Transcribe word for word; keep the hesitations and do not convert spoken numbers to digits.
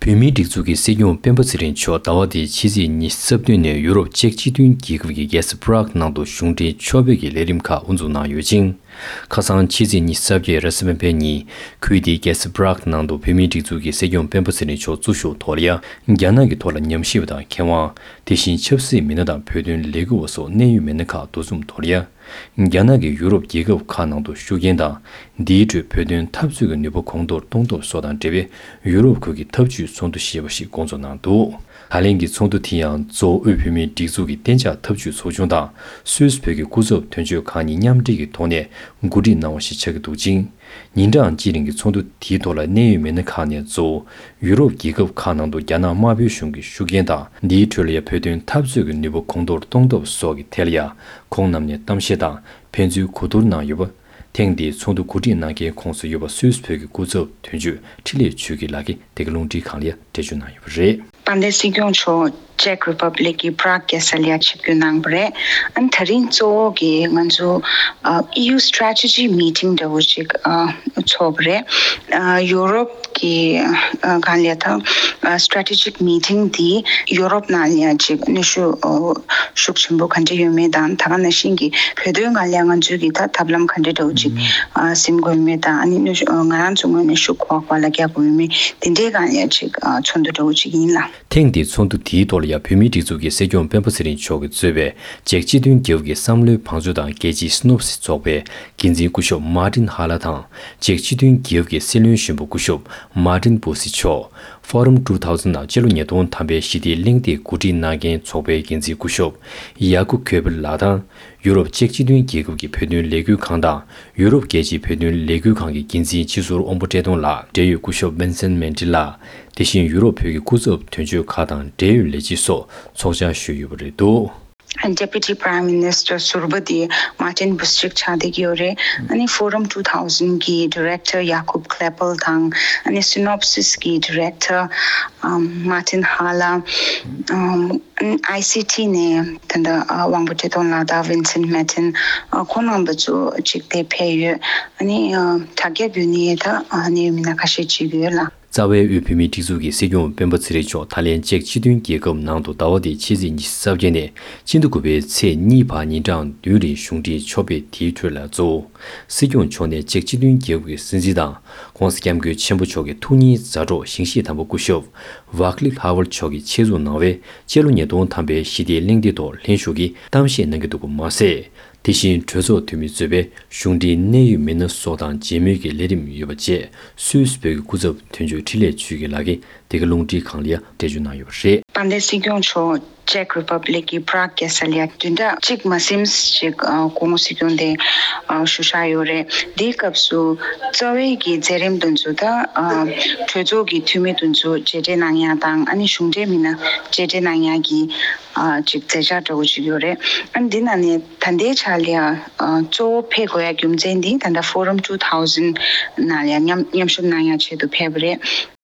བོད་མིའི་སྒྲིག་འཛུགས་ཀྱི་སྲིད་སྐྱོང་སྤེན་པ་ཚེ་རིང་མཆོག་ཟླ་བ་འདིའི་ཕྱི་ཚེས་ཉི་ཤུ་རྩ་བདུན་ནས་ཡུ་རོབ་ཅེཀ་སྤྱི་མཐུན་རྒྱལ་ཁབ་ཀྱི་རྒྱལ་ས་Prague ནང་དུ་གཞུང་འབྲེལ་ཕྱོགས་ཕེབས་ཀྱི་ལས་རིམ་ཁག་དབུ་འཛུགས་གནང་ཡོད་ཅིང་། ཁ་སང་ཕྱི་ཚེས་ཉི་ཤུ་རྩ་བརྒྱད་རེས་གཟའ་སྤེན་པའི་ཉིན་ཁུལ་དེའི་རྒྱལ་ས་Prague ནང་དུ་བོད་མིའི་སྒྲིག་འཛུགས་ཀྱི་སྲིད་སྐྱོང་སྤེན་པ་ཚེ་རིང་མཆོག་གཙོ་བཞུགས་ཐོག་ལ་ཡ། རྒྱ་ནག་གི་ཐོག་ལ་ཉམས་ཞིབ་པ་དང་མཁས་དབང་། དེ་བཞིན་ཆབ་སྲིད་མི་སྣ་དང་བོད་དོན་ལས་འགུལ་བ་སོགས་གནད་ཡོད་མི་སྣ་ཁག་འདུ་འཛོམས་ཐོག་ལ་ཡ། རྒྱ་ནག་གིས་ཡུ་རོབ་རྒྱལ་ཁབ་ཁག་ནང་དུ་ཤུགས་རྐྱེན་དང་། འདིའི་ཁྲོད་བོད་དོན་འཐབ་རྩོད་ཀྱི་ནུས་པ་གོང་མཐོར་གཏོང་ཐབས་སོགས་དང་འབྲེལ་བའི་ཡུ་རོབ་ཁུལ་གྱི་འཐབ་ཇུས་ཚོགས་འདུ་ཞེས་པ་ཞིག་སྐོང་ཚོགས་གནང་འདུག། ད་ལན་གྱི་ཚོགས་འདུ་དེ་ཡང་གཙོ་བོ་དབུས་བོད་མིའི་སྒྲིག་འཛུགས་ཀྱི་གཏན་འཇགས་འཐབ་ཇུས་ཚོགས་ཆུང་དང་སུད་སི་བོད་ཀྱི་སྐུ་ཚབ་དོན་གཅོད་ཁག་གཉིས་མཉམ་འབྲེལ་གྱི་ཐོག་ནས་གོ་སྒྲིག་གནང་བ་ཞིག་ཆགས་ཀྱི་འདུག་ཅིང་། ཉིན་གྲངས་གཅིག་རིང་གི་ཚོགས་འདུ་དེའི་ཐོག་ལ་གནད་ཡོད་མི་སྣ་ཁག་ནས་གཙོ་བོ་ཡུ་རོབ་རྒྱལ་ཁབ་ཁག་ནང་དུ་རྒྱ་ནག་དམར་པོའི་གཞུང་གི་ཤུགས་རྐྱེན་དང་། འདིའི་ཁྲོད་ལ་ཡང་བོད་དོན་འཐབ་རྩོད་ཀྱི་ནུས་པ་གོང་མཐོར་གཏོང་ཐབས་སོགས་ཀྱི་ཐད་ལ་ཡང་ཁོང་རྣམས་ནས་གཏམ་བཤད་དང་ཕན་ཚུན་གོ་བསྡུར་གནང་ཡོད་པ། ཐེངས་འདིའི་ཚོགས་འདུ་གོ་སྒྲིག་གནང་མཁན་ཁོངས་སུ་ཡོད་པ་སུད་སི་བོད་ཀྱི་སྐུ་ཚབ་དོན་གཅོད་འཕྲིན་ལས་ཆོས་སྐྱིད་ལགས་ཀྱིས་དེ་ག་རླུང་འཕྲིན་ཁང་ལ་ཡང་འགྲེལ་བརྗོད་གནང་ཡོད་པ་རེད། དཔལ་ལྡན་སྲིད་སྐྱོང་མཆོག་ཅེག་རི་པབ་ལིག་གི་པྲག་རྒྱལ་ས་ལ་ཆིབས་བསྒྱུར་གནང་བ་རེད། ཨ་ནི་ད་རིང་གཙོ་བོ་གི་ང་ཚོ་ཨ་ཨི་ཡུ་སི་ཊེ་རེ་ཊེ་ཇི་མི་ཊིང་འདྲ་བོ་ཅིག་ཨ་ཚོགས་པ་རེད། ཨ་ཡུ་རོབ་ཀྱི་ཨ་གང་ལ་ད་ཨ་སི་ཊེ་རེ་ཊེ་ཇིག་མི་ཊིང་འདི་ཡུ་རོབ་ནང་ལ་ཡང་ཅིག་གནོན་ཤུགས་ཨ་ཤུགས་ཆེན་པོ་ག་འདྲ་ཡོད་མེད་དང་། ད་ག་ནང་བཞིན་གྱི་བོད་དོན་སྒང་ལ་ཡང་ང་ཚོའི་གི་ད་ཐབས་ལམ་ག་འདྲ་འདྲ་བོ་ཅིག་ཨ་ཟིན་དགོས་ཡོད་མེད་དང་། ཨ་ནི་གནོན་ཤུགས་ཨ་ང་རང་ཚོའི་ངོས་ནས་ཤུགས་ག་པར་ལ་རྒྱག་དགོས་ཡོད་མེད་དེ་འདྲའི་སྒང་ལ་ཡང་ཅིག་ཨ་ཚོགས་འདུ་འདྲ་བོ་ཅིག་ཡིན་ལ། ཐེངས་འདིའི་ཚོགས་འདུ་དེའི་ཐོག་ལ་ཡང་བོད་མིའི་སྒྲིག་འཛུགས་ཀྱི་སྲིད་སྐྱོང་སྤེན་པ་ཚེ་རིང་མཆོག་གིས་གཙོས་པའི་ཅེག་སྤྱི་མཐུན་རྒྱལ་ཁབ་ཀྱི་བསམ་བློའི་བང་མཛོད་དང་རྒྱལ་སྤྱིའི་སི་ནོབ་སིས་ཚོགས་པའི་འགན་འཛིན་སྐུ་ཞབས་མར་ཏིན་ཧ་ལ་དང་། ཅེག་སྤྱི་མཐུན་རྒྱལ་ཁབ་ཀྱི་སྲིད་བློན་གཞོན་པ་སྐུ་ཞབས་མར་ཏིན་བུ་སི་མཆོག། Forum two thousand དང་སྤྱི་ལོ་ཉིས་སྟོང་ཐམ་པའི་ཞི་བདེའི་གླེང་སྟེགས་གོ་སྒྲིག་གནང་མཁན་ཚོགས་པའི་འགན་འཛིན་སྐུ་ཞབས་ཡ་ཀུབ་ཁོས་པེར་ལགས་དང་། ཡུ་རོབ་ཅེག་སྤྱི་མཐུན་རྒྱལ་ཁབ་ཀྱི་བོད་དོན་ལས་འགུལ་ཁང་དང་ཡུ་རོབ་རྒྱལ་སྤྱིའི་བོད་དོན་ལས་འགུལ་ཁང་གི་འགན་འཛིན་སྤྱི་ཟུར་དབང་པོ་བཀྲས་མཐོང་ལགས། འབྲེལ་ཡོད་སྐུ་ཞབས་བིན་སེན་མན་ཏི་ལགས། དེ་བཞིན་ཡུ་རོབ་བོད་ཀྱི་སྐུ་ཚབ་དོན་གཅོད་ཁག་དང་འབྲེལ་ཡོད་ལས་བྱེད་སོགས་ཚོགས་བཅར་ཞུས་ཡོད་པ་རེད་འདུག། Deputy Prime Minister ཟུར་པ་དེ་མར་ཏིན་བུ་སི་ཅིག་ཆགས་བསྡད་ཀྱི་ཡོད་རེད། ཨ་ནི་Forum two thousand གི་Director ཡ་ཀུབ་ཁོས་པེར་དང་། ཨ་ནི་སི་ནོབ་སིས་གི་Director ཨམ་མར་ཏིན་ཧ་ལ། ཨམ་ཨ་ནི་ཨའི་སི་ཊི་ནས་ད་ལྟ་ཨ་དབང་པོ་བཀྲས་མཐོང་ལགས་དང་བིན་སེན་མན་ཏིན་ཨ་ཁོང་རྣམ་པ་ཚོ་ཅིག་དེ་ཕེབས་ཡོད། ཨ་ནི་ཨ་དྲ་རྒྱ་བརྒྱུད་ནས་ད་ཨ་ནི་མི་སྣ་ཁ་ཤས་ཅིག་ཡོད་ལ། རྩ་བའི་དབུས་བོད་མིའི་སྒྲིག་འཛུགས་ཀྱི་སྲིད་སྐྱོང་སྤེན་པ་ཚེ་རིང་མཆོག་ད་ལན་ཅེག་སྤྱི་མཐུན་རྒྱལ་ཁབ་ནང་དུ་ཟླ་བ་འདིའི་ཕྱི་ཚེས་ཉི་ཤུ་རྩ་བརྒྱད་ནས་སྤྱི་ཟླ་དགུ་པའི་ཚེས་གཉིས་བར་ཉིན་གྲངས་བདུན་རིང་གཞུང་འབྲེལ་ཕྱོགས་ཕེབས། དེའི་ཁྲོད་ལ་གཙོ་བོ་སྲིད་སྐྱོང་མཆོག་ནས་ཅེག་སྤྱི་མཐུན་རྒྱལ་ཁབ་ཀྱི་སྲིད་འཛིན་དང་༸གོང་ས་༸སྐྱབས་མགོན་ཆེན་པོ་མཆོག་གི་ཐུགས་མཉེས་མཛའ་གྲོགས་ཞིང་གཤེགས་དམ་པ་སྐུ་ཞབས་ཝ་ཀླིབ་ཧ་ཝར་མཆོག་གིས་ཆེད་འཛུགས་གནང་བའི་སྤྱི་ལོ་ཉིས་སྟོང་ཐམ་པའི་ཞི་བདེའི་གླེང་སྟེགས་ཐོག་ལྷན་ཞུགས་ཀྱིས་གཏམ་བཤད་གནང་གི་འདུག་པ་མ་ཟད། དེ་བཞིན་གྲོས་ཚོགས་འཐུས་མི་གཙོས་པའི་གཞུང་འབྲེལ་གནད་ཡོད་མི་སྣ་སོགས་དང་མཇལ་མོལ་གྱི་ལས་རིམ་ཡོད་པ་བཅས་སུད་སི་བོད་ཀྱི་སྐུ་ཚབ་དོན་གཅོད་འཕྲིན་ལས་ཆོས་སྐྱིད་ལགས་ཀྱིས་འདི་ག་རླུང་འཕྲིན་ཁང་ལ་ཡང་འགྲེལ་བརྗོད་གནང་ཡོད་པ་རེད། དཔལ་ལྡན་སྲིད་སྐྱོང་མཆོག་ཅེག་རི་པབ་ལིག་གི་པྲག་རྒྱལ་ས་ལ་བདུན་ཕྲག་གཅིག་མ་ཟིན་ཅིག་ཨ་སྐུ་ངོ་སྲིད་སྐྱོང་དེ་ཨ་བཞུགས་བཞག་ཡོད་རེད། འདིའི་སྐབས་སུ་རྩ་བའི་གི་མཛད་རིམ་དེ་ཚོ་ད་ཨ་གྲོས་ཚོགས་ཀྱི་འཐུས་མི་དེ་ཚོ་མཇལ་འཕྲད་གནང་ཡ་དང་། ཨ་ནི་གཞུང་འབྲེལ་མི་སྣ་མཇལ་འཕྲད་གནང་ཡ་གི་ཨ་ཅིག་མཛད་འཆར་འདྲ་བོ་ཅིག་ཡོད་རེད། ཨ་ནི་འདི་ནང་ནས་ད་ལྟའི་ཆ་ལ་ཡ་ཨ་གཙོ་བོ་ཕེབས་དགོས་ཡ་རྒྱུ་མཚན་འདི་ད་ལྟ་Forum two thousand ནང་ལ་ཡ་མཉམ་མཉམ་ཞུགས་གནང་ཡ་ཆེད་དུ་ཕེབས་པ་རེད།